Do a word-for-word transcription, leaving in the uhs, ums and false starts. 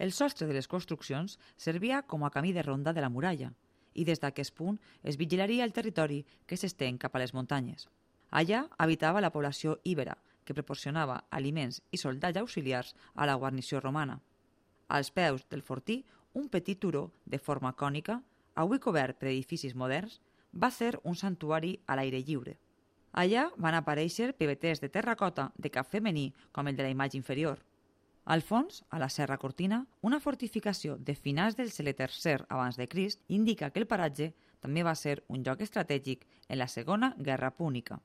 El sostre de les construccions servia com a camí de ronda de la muralla i des d'aquest punt es vigilaria el territori que s'estén cap a les muntanyes. Allà habitava la població íbera, que proporcionava aliments i soldats auxiliars a la guarnició romana. Als peus del fortí, un petit turó de forma cònica, avui cobert per edificis moderns, va ser un santuari a l'aire lliure. Allà van aparèixer pebeters de terracota de cap femení com el de la imatge inferior. Al fons, a la Serra Cortina, una fortificació de finals del segle tercer abans de Crist indica que el paratge també va ser un lloc estratègic en la Segona Guerra Púnica.